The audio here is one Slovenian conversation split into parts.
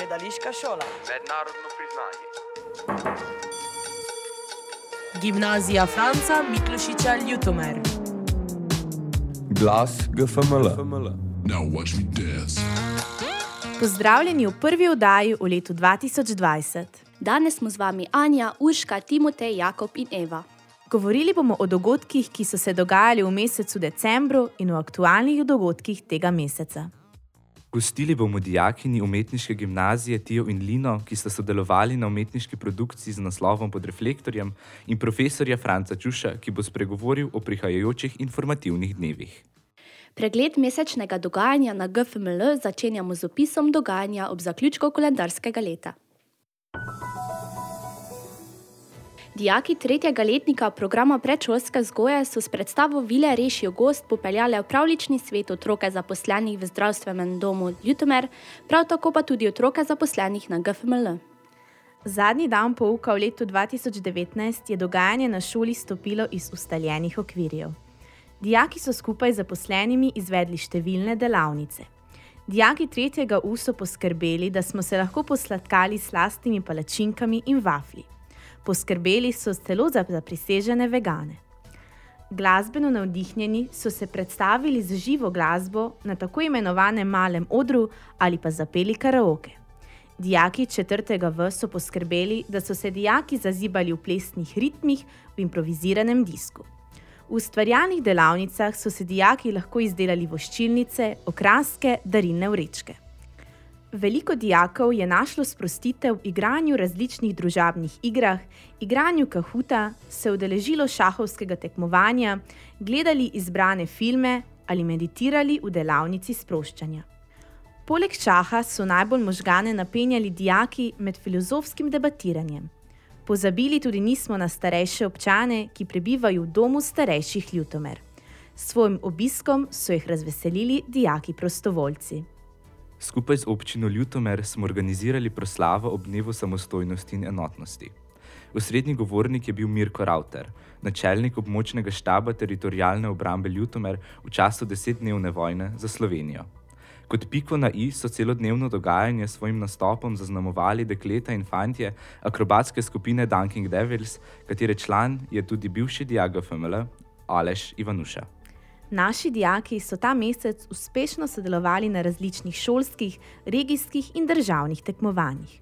Gledališka šola. Mednarodno priznanje. Gimnazija Franca Miklošiča Ljutomer. Glas GFML. Now watch me dance. Pozdravljeni v prvi oddaji v letu 2020. Danes smo z vami Anja, Urška, Timotej, Jakob in Eva. Govorili bomo o dogodkih, ki so se dogajali v mesecu decembru in o aktualnih dogodkih tega meseca. Gostili bomo dijakinji umetniške gimnazije Tijo in Lino, ki sta sodelovali na umetniški produkciji z naslovom Pod reflektorjem, in profesorja Franca Čuša, ki bo spregovoril o prihajajočih informativnih dnevih. Pregled mesečnega dogajanja na GFML začenjamo z opisom dogajanja ob zaključku koledarskega leta. Dijaki tretjega letnika programa predšolske vzgoje so s predstavo Vile rešijo gost popeljali v pravljični svet otroke zaposlenih v zdravstvenem domu Ljutomer, prav tako pa tudi otroke zaposlenih na GFML. Zadnji dan pouka v letu 2019 je dogajanje na šoli stopilo iz ustaljenih okvirjev. Dijaki so skupaj z zaposlenimi izvedli številne delavnice. Dijaki tretjega U so poskrbeli, da smo se lahko posladkali s slastnimi palačinkami in vaflji. Poskrbeli so celo za zaprisežene vegane. Glasbeno navdihnjeni so se predstavili z živo glasbo na tako imenovanem malem odru ali pa zapeli karaoke. Dijaki četrtega V so poskrbeli, da so se dijaki zazibali v plesnih ritmih v improviziranem disku. V ustvarjalnih delavnicah so se dijaki lahko izdelali voščilnice, okraske, darilne vrečke. Veliko dijakov je našlo sprostitev v igranju različnih družabnih igrah, igranju kahuta, se udeležilo šahovskega tekmovanja, gledali izbrane filme ali meditirali v delavnici sproščanja. Poleg šaha so najbolj možgane napenjali dijaki med filozofskim debatiranjem. Pozabili tudi nismo na starejše občane, ki prebivajo v domu starejših Ljutomer. S svojim obiskom so jih razveselili dijaki prostovoljci. Skupaj z občino Ljutomer smo organizirali proslavo ob dnevu samostojnosti in enotnosti. Osrednji govornik je bil Mirko Ravter, načelnik območnega štaba teritorialne obrambe Ljutomer v času 10-dnevne vojne za Slovenijo. Kot piko na i so celodnevno dogajanje s svojim nastopom zaznamovali dekleta in fantje akrobatske skupine Dunking Devils, katere član je tudi bivši dijak GFML Aleš Ivanuša. Naši dijaki so ta mesec uspešno sodelovali na različnih šolskih, regijskih in državnih tekmovanjih.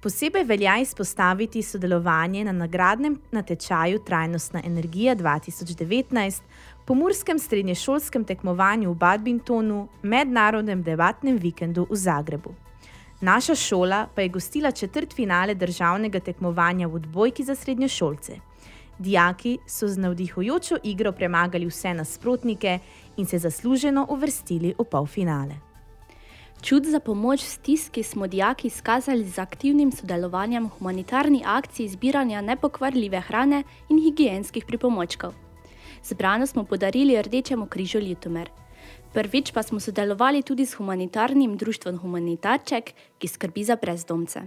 Posebej velja izpostaviti sodelovanje na nagradnem natečaju Trajnostna energija 2019, pomurskem srednješolskem tekmovanju v badmintonu, mednarodnem debatnem vikendu v Zagrebu. Naša šola pa je gostila četrtfinale državnega tekmovanja v odbojki za srednješolce. Dijaki so z navdihujočo igro premagali vse nasprotnike in se zasluženo uvrstili v polfinale. Čut za pomoč v stiski smo dijaki izkazali z aktivnim sodelovanjem v humanitarni akciji zbiranja nepokvarljive hrane in higienskih pripomočkov. Zbrano smo podarili Rdečemu križu Ljutomer. Prvič pa smo sodelovali tudi s humanitarnim društvom Humanitarček, ki skrbi za brezdomce.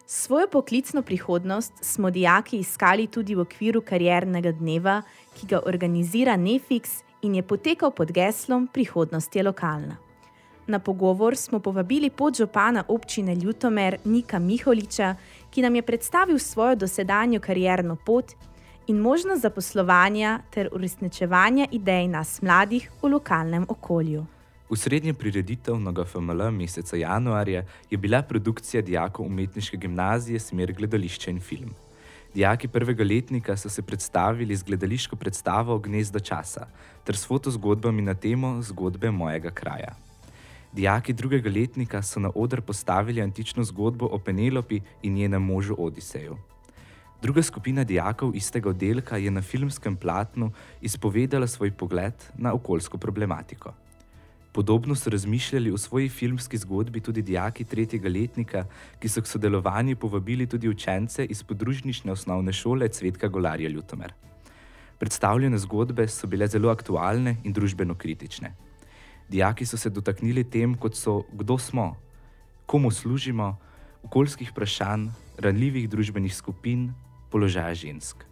Svojo poklicno prihodnost smo dijaki iskali tudi v okviru kariernega dneva, ki ga organizira Nefix in je potekal pod geslom Prihodnost je lokalna. Na pogovor smo povabili podžupana občine Ljutomer Nika Miholiča, ki nam je predstavil svojo dosedanjo karierno pot in možnost zaposlovanja ter uresničevanja idej nas mladih v lokalnem okolju. Osrednja prireditev na GFML meseca januarja je bila produkcija dijakov umetniške gimnazije Smer gledališče in film. Dijaki prvega letnika so se predstavili z gledališko predstavo Gnezdo časa ter s fotozgodbami na temo Zgodbe mojega kraja. Dijaki drugega letnika so na oder postavili antično zgodbo o Penelopi in njenem možu Odiseju. Druga skupina dijakov istega oddelka je na filmskem platnu izpovedala svoj pogled na okoljsko problematiko. Podobno so razmišljali o svoji filmski zgodbi tudi dijaki tretjega letnika, ki so k sodelovanju povabili tudi učence iz podružnične osnovne šole Cvetka Golarja Ljutomer. Predstavljene zgodbe so bile zelo aktualne in družbeno kritične. Dijaki so se dotaknili tem, kot so kdo smo, komu služimo, okoljskih vprašanj, ranljivih družbenih skupin, položaja žensk.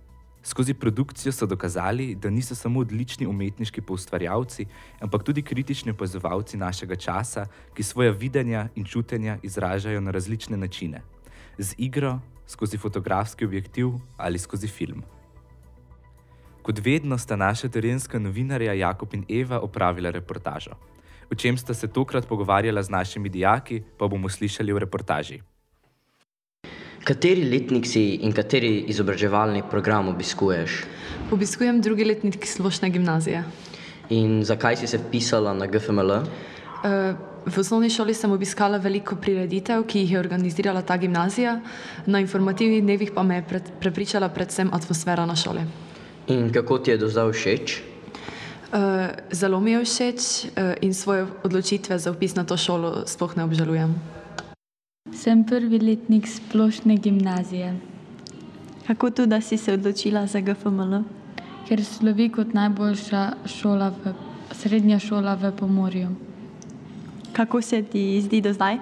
Skozi produkcijo so dokazali, da niso samo odlični umetniški poustvarjalci, ampak tudi kritični opazovalci našega časa, ki svoja videnja in čutenja izražajo na različne načine. Z igro, skozi fotografski objektiv ali skozi film. Kot vedno sta naša terenska novinarja Jakob in Eva opravila reportažo. O čem sta se tokrat pogovarjala z našimi dijaki, pa bomo slišali v reportaži. Kateri letnik si in kateri izobraževalni program obiskuješ? Obiskujem drugi letnik splošne gimnazije. In zakaj si se vpisala na GFML? V osnovni šoli sem obiskala veliko prireditev, ki jih je organizirala ta gimnazija. Na informativnih dnevih pa me je prepričala predvsem atmosfera na šoli. In kako ti je do zdaj všeč? Zelo mi je všeč in svoje odločitve za vpis na to šolo sploh ne obžalujem. Sem prvi letnik splošne gimnazije. Kako to, da si se odločila za GFML? Ker slovi kot najboljša srednja šola v Pomurju. Kako se ti zdi do zdaj?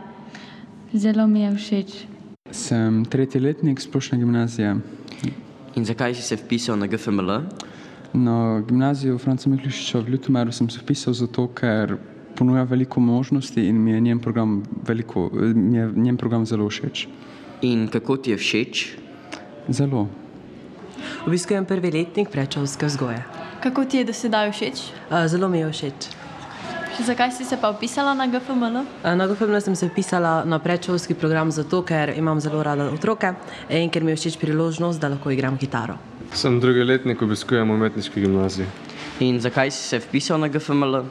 Zelo mi je všeč. Sem tretji letnik splošne gimnazije. In zakaj si se vpisal na GFML? Na gimnazijo Franca Miklošiča v Ljutomeru sem se vpisal zato, ker ponuja veliko možnosti in mi je njen program zelo všeč. In kako ti je všeč? Zelo. Obiskujem prvi letnik predšolske vzgoje. Kako ti je do sedaj všeč? Zelo mi je všeč. Zakaj si se pa vpisala na GFML? Na GFML sem se vpisala na predšolski program zato, ker imam zelo rada otroke in ker mi je všeč priložnost, da lahko igram kitaro. Sem drugi letnik, obiskujem umetniški gimnaziji. In zakaj si se vpisal na GFML?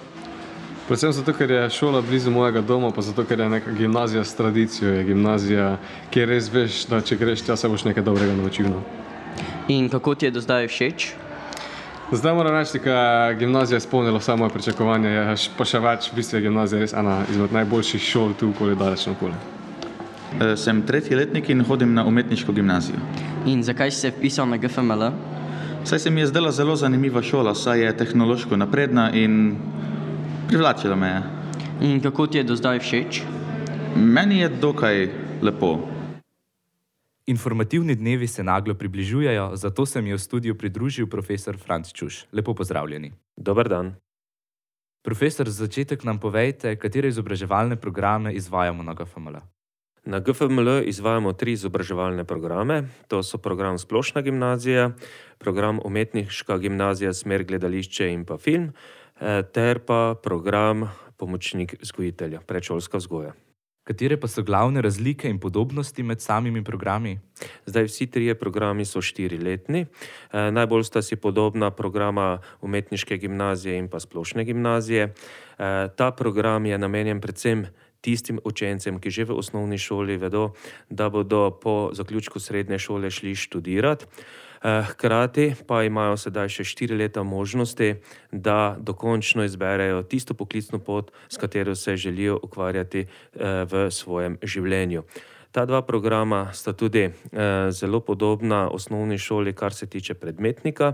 Predvsem zato, ker je šola blizu mojega doma, pa zato, ker je neka gimnazija s tradicijo, je gimnazija, kjer res veš, da če greš tja, se boš nekaj dobrega naučil. In kako ti je do zdaj všeč? Zdaj moram reči, da gimnazija je izpolnila vsa moje pričakovanja, pa še več, v bistvu je gimnazija res ena izmed najboljših šol tu, koli daleč naokoli. Sem tretji letnik in hodim na umetniško gimnazijo. In zakaj si se vpisal na GFML? Saj se mi je zdela zelo zanimiva šola, saj je tehnološko napredna in privlačila me je. In kako ti je do zdaj všeč? Meni je dokaj lepo. Informativni dnevi se naglo približujejo, zato se mi je v studiu pridružil profesor Franc Čuš. Lepo pozdravljeni. Dober dan. Profesor, za začetek nam povejte, katere izobraževalne programe izvajamo na GFML. Na GFML izvajamo 3 izobraževalne programe. To so program Splošna gimnazija, program Umetniška gimnazija smer gledališče in pa film, ter pa program Pomočnik vzgojitelja, predšolska vzgoja. Katere pa so glavne razlike in podobnosti med samimi programi? Zdaj vsi 3 programi so 4-letni. Najbolj sta si podobna programa Umetniške gimnazije in pa Splošne gimnazije. Ta program je namenjen predvsem tistim učencem, ki že v osnovni šoli vedo, da bodo po zaključku srednje šole šli študirati. Hkrati pa imajo sedaj še 4 leta možnosti, da dokončno izberejo tisto poklicno pot, s katero se želijo ukvarjati v svojem življenju. Ta 2 programa sta tudi zelo podobna osnovni šoli, kar se tiče predmetnika.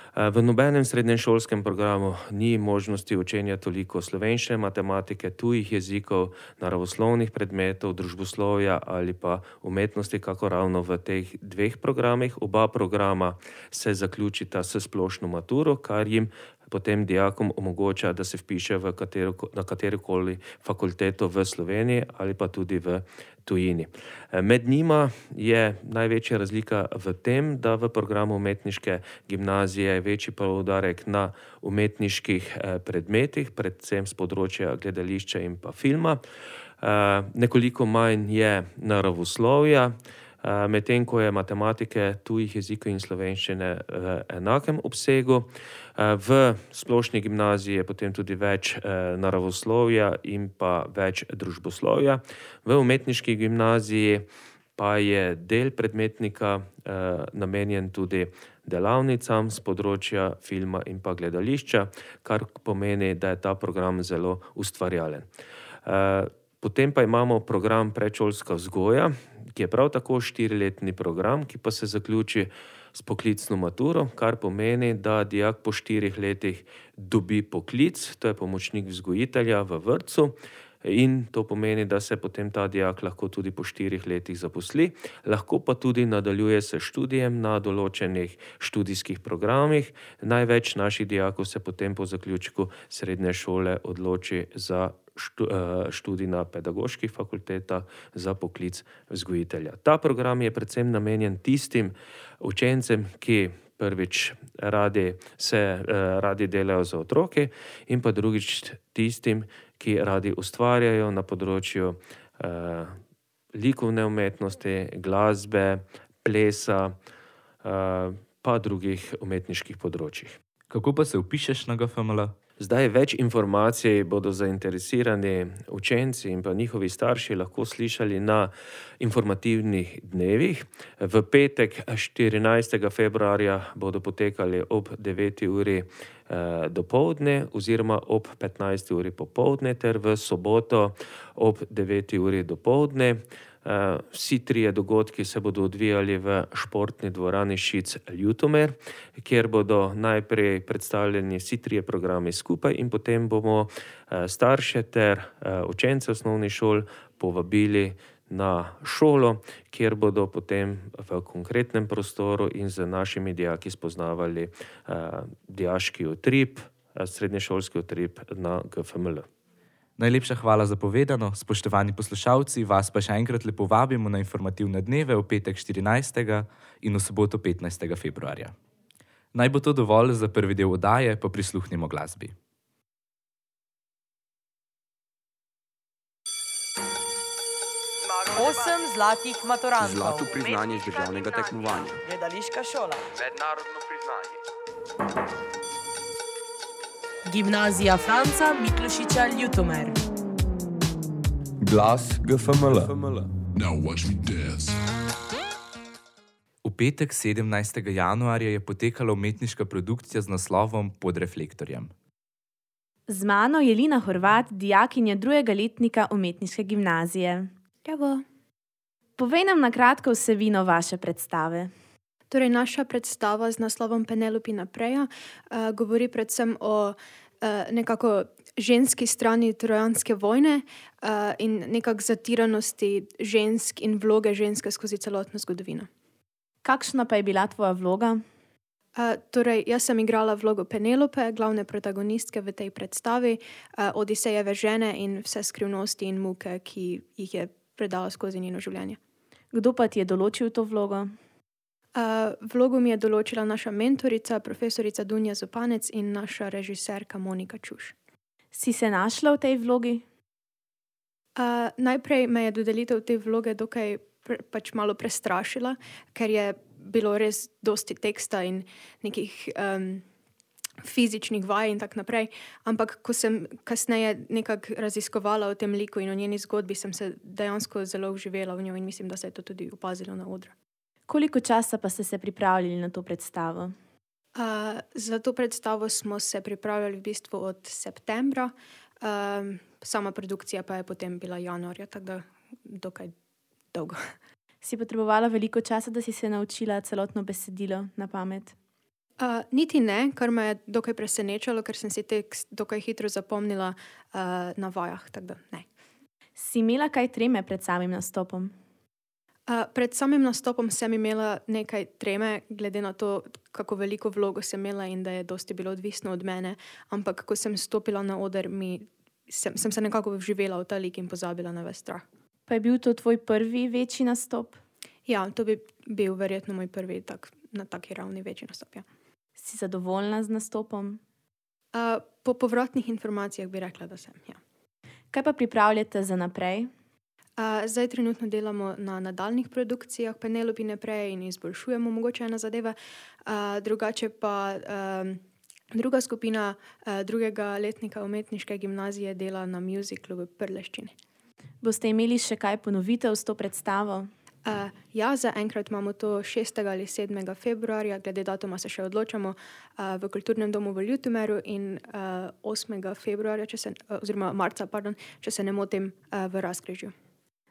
V nobenem srednješolskem programu ni možnosti učenja toliko slovenščine, matematike, tujih jezikov, naravoslovnih predmetov, družboslovja ali pa umetnosti, kako ravno v teh 2 programih. Oba programa se zaključita s splošno maturo, kar jim potem dijakom omogoča, da se vpiše na katerokoli fakulteto v Sloveniji ali pa tudi v tujini. Med njima je največja razlika v tem, da v programu umetniške gimnazije je večji poudarek na umetniških predmetih, predvsem z področja gledališča in pa filma. Nekoliko manj je naravoslovja, medtem ko je matematike, tujih jezikov in slovenščine v enakem obsegu. V splošni gimnaziji je potem tudi več naravoslovja in pa več družboslovja. V umetniški gimnaziji pa je del predmetnika namenjen tudi delavnicam z področja filma in pa gledališča, kar pomeni, da je ta program zelo ustvarjalen. Potem pa imamo program predšolska vzgoja, ki je prav tako 4-letni program, ki pa se zaključi s poklicno maturo, kar pomeni, da dijak po 4 letih dobi poklic, to je pomočnik vzgojitelja v vrtcu. in to pomeni, da se potem ta dijak lahko tudi po 4 letih zaposli, lahko pa tudi nadaljuje s študijem na določenih študijskih programih. Največ naših dijakov se potem po zaključku srednje šole odloči za študij na pedagoških fakultetah za poklic vzgojitelja. Ta program je predvsem namenjen tistim učencem, ki prvič radi delajo za otroke in pa drugič tistim, ki radi ustvarjajo na področju likovne umetnosti, glasbe, plesa, pa drugih umetniških področjih. Kako pa se vpišeš na GFML? Zdaj več informacij bodo zainteresirani učenci in pa njihovi starši lahko slišali na informativnih dnevih. V petek 14. februarja bodo potekali ob 9. uri dopoldne oziroma ob 15. uri popoldne ter v soboto ob 9. uri dopoldne. Vsi trije dogodki se bodo odvijali v športni dvorani Šic Ljutomer, kjer bodo najprej predstavljeni vsi trije programi skupaj in potem bomo starše ter učence osnovnih šol povabili na šolo, kjer bodo potem v konkretnem prostoru in z našimi dijaki spoznavali dijaški utrip, srednješolski utrip na GFML. Najlepša hvala za povedano, spoštovani poslušalci, vas pa še enkrat lepo vabimo na informativne dneve v petek 14. in v soboto 15. februarja. Naj bo to dovolj za prvi del oddaje, pa prisluhnimo glasbi. Osem zlatih maturantov. Zlato priznanje z državnega tekmovanja. Gledališka šola. Mednarodno priznanje. Gimnazija Franca Miklošiča Ljutomer. Glas GFML. Now watch me dance. V petek 17. januarja je potekala umetniška produkcija z naslovom Pod reflektorjem. Z mano je Lina Horvat, dijakinja 2. letnika umetniške gimnazije. Bravo. Povej nam na kratko vsebino vaše predstave. Torej, naša predstava z naslovom Penelopi Napreja govori predvsem o nekako ženski strani trojanske vojne in nekako zatiranosti žensk in vloge ženske skozi celotno zgodovino. Kakšna pa je bila tvoja vloga? Torej, jaz sem igrala vlogo Penelope, glavne protagonistke v tej predstavi, Odisejeve žene in vse skrivnosti in muke, ki jih je predala skozi njeno življenje. Kdo pa ti je določil to vlogo? Vlogo mi je določila naša mentorica, profesorica Dunja Zupanec in naša režiserka Monika Čuš. Si se našla v tej vlogi? Najprej me je dodelitev te vloge dokaj pač malo prestrašila, ker je bilo res dosti teksta in nekih fizičnih vaj in tak naprej, ampak ko sem kasneje nekako raziskovala o tem liku in o njeni zgodbi, sem se dejansko zelo vživela v njo in mislim, da se je to tudi opazilo na odru. Koliko časa pa ste se pripravljali na to predstavo? Za to predstavo smo se pripravljali v bistvu od septembra, sama produkcija pa je potem bila januarja, tako da dokaj dolgo. Si potrebovala veliko časa, da si se naučila celotno besedilo na pamet? Niti ne, kar me je dokaj presenečalo, ker sem si tekst dokaj hitro zapomnila na vajah, tako da ne. Si imela kaj treme pred samim nastopom? Pred samim nastopom sem imela nekaj treme, glede na to, kako veliko vlogo sem imela in da je dosti bilo odvisno od mene, ampak ko sem stopila na oder, sem se nekako vživela v ta lik in pozabila na ves strah. Pa je bil to tvoj prvi večji nastop? Ja, to bi bil verjetno moj prvi na taki ravni večji nastop, ja. Si zadovoljna z nastopom? Po povratnih informacijah bi rekla, da sem, ja. Kaj pa pripravljate za naprej? Zdaj trenutno delamo na nadaljnih produkcijah Penelopi Napreje in izboljšujemo mogoče ene zadeve. Drugače pa druga skupina 2. letnika umetniške gimnazije dela na muziklu v Prleščini. Boste imeli še kaj ponovitev s to predstavo? Ja, zaenkrat imamo to 6. ali 7. februarja, glede datuma se še odločamo, v Kulturnem domu v Ljutomeru in 8. februarja, oziroma marca, če se ne motim, v Razkrižju.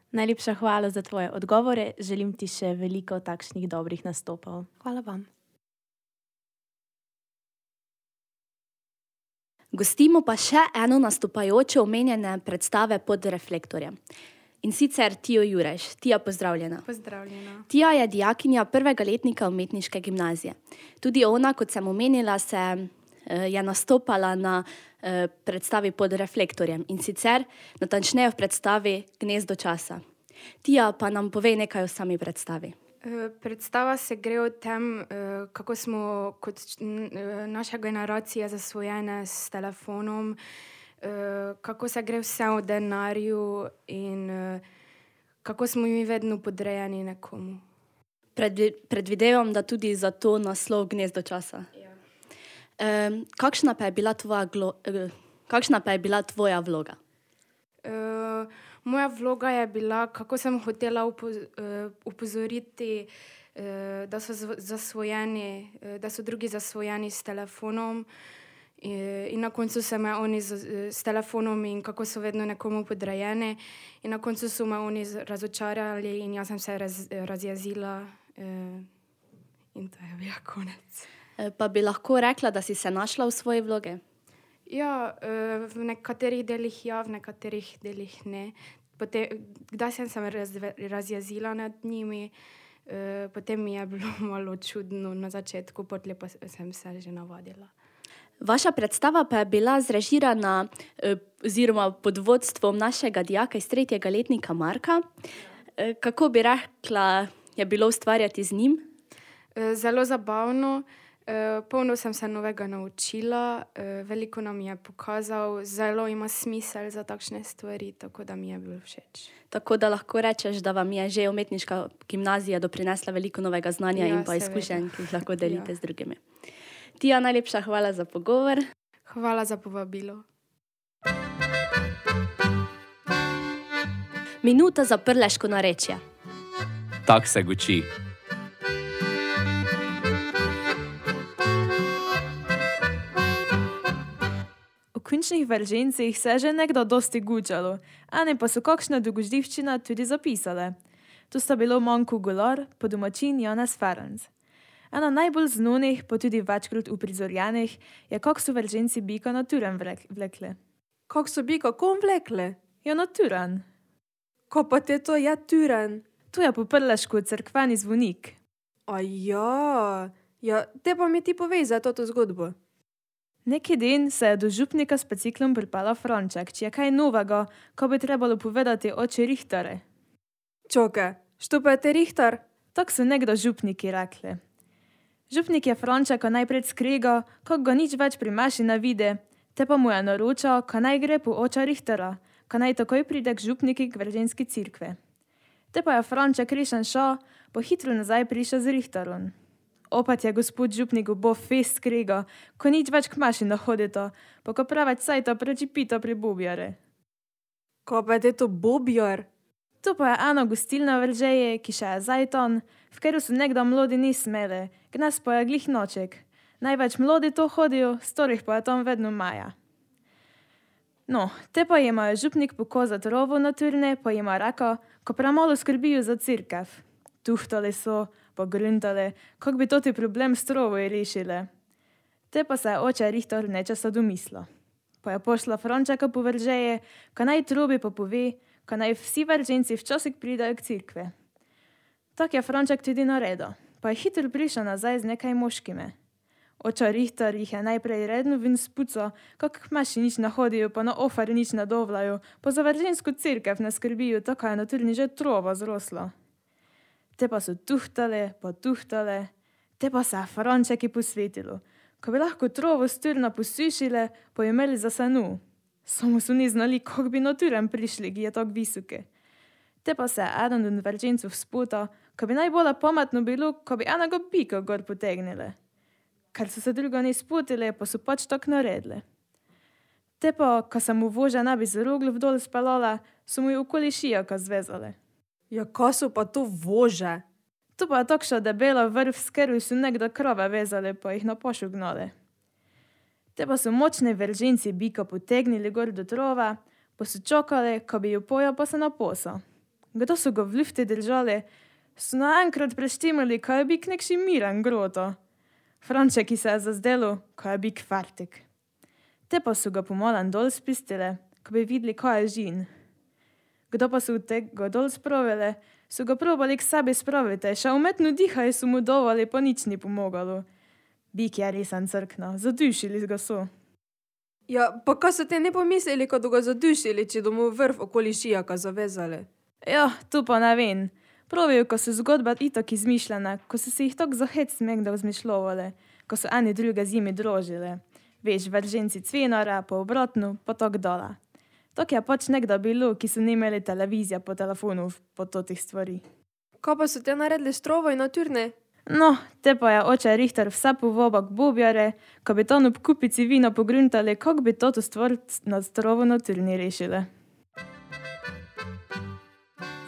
Najlepša hvala za tvoje odgovore. Želim ti še veliko takšnih dobrih nastopov. Hvala vam. Gostimo pa še eno nastopajočo omenjene predstave Pod reflektorjem. In sicer Tijo Jureš. Tija, pozdravljena. Pozdravljena. Tija je dijakinja prvega letnika umetniške gimnazije. Tudi ona, kot sem omenila, je nastopala na predstavi Pod reflektorjem. In sicer natančneje v predstavi Gnezdo časa. Tija, pa nam povej nekaj o sami predstavi. Predstava se gre o tem, kako smo kot naša generacija zasvojene s telefonom, kako se gre vse o denarju in kako smo mi vedno podrejeni nekomu. Predvidevam, da tudi za to naslov Gnezdo časa. Ja. Kakšna pa je bila tvoja vloga? Moja vloga je bila, kako sem hotela upozoriti, da so zasvojeni, da so drugi zasvojeni s telefonom in na koncu so me oni s telefonom in kako so vedno nekomu podrejeni in na koncu so me oni razočarali in jaz sem se razjezila in to je bil konec. Pa bi lahko rekla, da si se našla v svoji vlogi? Ja, v nekaterih delih ja, v nekaterih delih ne. Kdaj sem se razjezila nad njimi, potem mi je bilo malo čudno na začetku, potem pa sem se že navadila. Vaša predstava pa je bila zrežirana oziroma pod vodstvom našega dijaka iz 3. letnika Marka. Kako bi rekla, je bilo ustvarjati z njim? Zelo zabavno. Polno sem se novega naučila, veliko nam je pokazal, zelo ima smisel za takšne stvari, tako da mi je bilo všeč. Tako da lahko rečeš, da vam je že umetniška gimnazija doprinesla veliko novega znanja in pa izkušenj, ki jih lahko delite z drugimi. Tija, najlepša hvala za pogovor. Hvala za povabilo. Minuta za prleško narečje. Tak se guči. V končnih veržencih se je že nekdo dosti gučalo, a ne pa so kakšna dogodivščina tudi zapisale. Tu sta bilo Manko Golar, pa domačin Janez Ferenc. Ena najbolj znanih, pa tudi večkrat uprizorjenih, je kak so verženci bika na Turen vlekli. Kak so bika kom vlekli? Ja, na Turen. Ko pa te to je Turen? Tu je po prlešku cerkveni zvonik. A ja, te pa mi ti povej za to zgodbo. Neki dan se je do župnika s biciklom pripela Franček, či je kaj novega, ko bi trebalo povedati oče Richtare. Čoke, što pa je te Richter? Tak so nekdo župniki rekli. Župnik je Frančeka najprej skregal, kako ga nič več pri maši ne vidi, te pa mu je naročal, ka naj gre po oča Richtera, ka naj takoj pride k župniki k verženski cerkvi. Te pa je Franček rešen šel, pa hitro nazaj prišel z Richterom. Opet je gospod župnik bo fest skregal, ko nič več k maši ne hodito, pa ko preveč sajta prečipita pri bobjare. Ko pa je to bobjar? To pa je ena gostilna veržeje, ki še je zajton, v katero so nekdo mlodi ni smeli, gnes pa je glih noček. Največ mlodi to hodijo, storih pa je tam vedno maja. No, te pa jima je župnik pokazat rovo na turne, pa jima rekel, ko premalo skrbijo za cerkev. Tuhtali so, pa gruntali, kak bi toti problem s trovoj rešili. Te pa se je oče Richter nečesa domislil. Pa je pošla Frančeka po veržeje, ka naj trobi pa pove, ka naj vsi verženci včasih pridajo k cerkvi. Tak je Franček tudi naredil, pa je hitro prišel nazaj z nekaj moškimi. Oča Richter jih je najprej redno ven spucal, kak k maši nič ne hodijo, pa na ofar nič ne dovlajo, pa za veržensko cerkev ne skrbijo, tako je na turni že trova zrosla. Te pa so tuhtali, te pa se je Frančeki posvetilo. Ko bi lahko trovo z turna posušili, pa jo imeli za senu. Samo so ni znali, kako bi na turen prišli, ki je tako visoki. Te pa se je eden od veržencov spotal, ko bi najbolje pametno bilo, ko bi enega bika gor potegnili. Ker so se drugo ne spotili, pa so pač tako naredili. Te pa, ko se mu voža ne bi z roglov dol speljala, so mu jo okoli šijaka zvezali. Ja, ko so pa to vože? To pa je takša debela vrv, s katero so nekdo krave vezali, pa jih na pošo gnali. Te pa so močni verženci bika potegnili gor do trova, pa so čakali, ko bi jo pojel, pa se naposal. Kdo so ga v lufti držali, so naenkrat preštimali, ko je bik nekši miren groto. Frančeki se je zazdelo, ko je bik fertik. Te pa so ga pomolan dol spustile, ko bi videli, kaj je žin. Kdo pa so tega dol spravili, so ga probali k sebi spraviti, še umetno dihaj so mu dovali, pa nič ni pomagalo. Bik je resen crkna, zadušili ga so. Ja, pa kaj so te ne pomislili, ko ga zadušili, če domu vrv okoli šijaka zavezali? Ja, to pa ne vem. Pravijo, ko so zgodbe itak izmišljene, ko so se jih tako za hec smegda vzmišljovali, ko so eni druge zimi drožili. Veš, vrženci cvenara, pa obratno, pa tako dole. Tako je pač nekda bilo, ki so ne imeli televizija po telefonu, po totih stvari. Kaj pa so te naredili strovo in naturne? No, te pa je oče Richter vse povoba k bobjare, ko bi tam ob kupici vina pogruntali, kako bi toto stvar na strovo naturni rešili.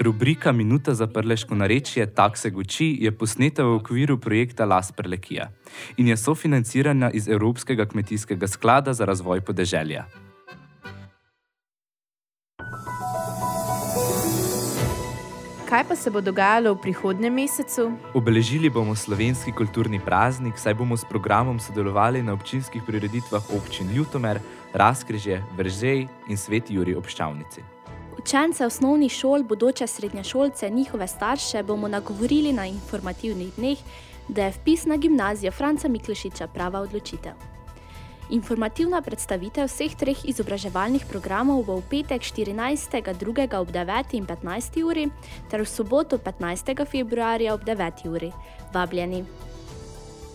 Rubrika Minuta za prleško narečje Tak se guči je posneta v okviru projekta Las Prlekija in je sofinancirana iz Evropskega kmetijskega sklada za razvoj podeželja. Kaj pa se bo dogajalo v prihodnjem mesecu? Obeležili bomo slovenski kulturni praznik, saj bomo s programom sodelovali na občinskih prireditvah občin Ljutomer, Razkrižje, Veržej in Sveti Jurij ob Ščavnici. Učence osnovnih šol, bodoče srednješolce, njihove starše bomo nagovorili na informativnih dneh, da je vpis na gimnazijo Franca Miklošiča prava odločitev. Informativna predstavitev vseh treh izobraževalnih programov bo v petek 14.2. ob 9. in 15. uri ter v soboto 15. februarja ob 9. uri. Vabljeni.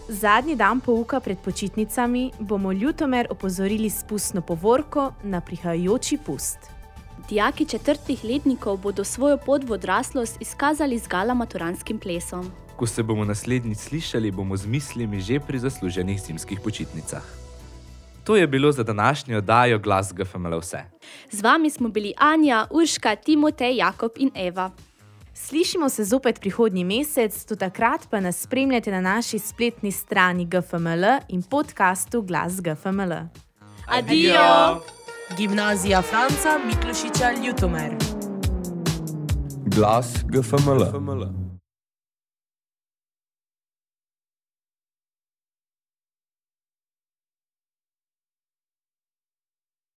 Zadnji dan pouka pred počitnicami bomo Ljutomer opozorili s pustno povorko na prihajajoči pust. Dijaki 4. letnikov bodo svojo pot v odraslost izkazali z gala maturanskim plesom. Ko se bomo naslednjič slišali, bomo z mislimi že pri zasluženih zimskih počitnicah. To je bilo za današnjo oddajo Glas GFML vse. Z vami smo bili Anja, Urška, Timotej, Jakob in Eva. Slišimo se zopet prihodnji mesec, do takrat pa nas spremljate na naši spletni strani GFML in podcastu Glas GFML. Adijo! Gimnazija Franca Miklošiča Ljutomer. Glas GFML.